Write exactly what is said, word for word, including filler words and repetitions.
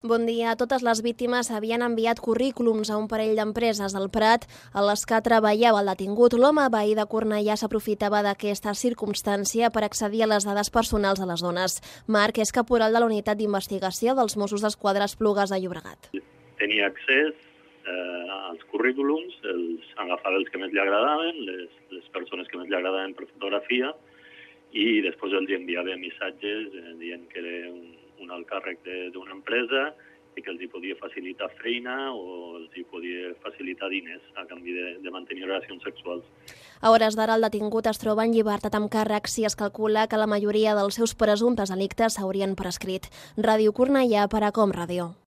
Bon dia. Totes les víctimes havien enviat currículums a un parell d'empreses al Prat a les que treballava el detingut. L'home veí de Cornellà s'aprofitava d'aquesta circumstància per accedir a les dades personals de les dones. Marc és caporal de la unitat d'investigació dels Mossos d'Esquadra a Esplugues de Llobregat. Tenia accés eh, als currículums, els agafava els que més li agradaven, les, les persones que més li agradaven per fotografia, i després els enviava missatges eh, dient que era un un alt càrrec d'una empresa i que els hi podia facilitar feina o els hi podia facilitar diners a canvi de, de mantenir relacions sexuals. A hores d'ara el detingut es troba en llibertat amb càrrecs i es calcula que la majoria dels seus presumptes delictes s'haurien prescrit. Ràdio Cornellà per a Com Ràdio.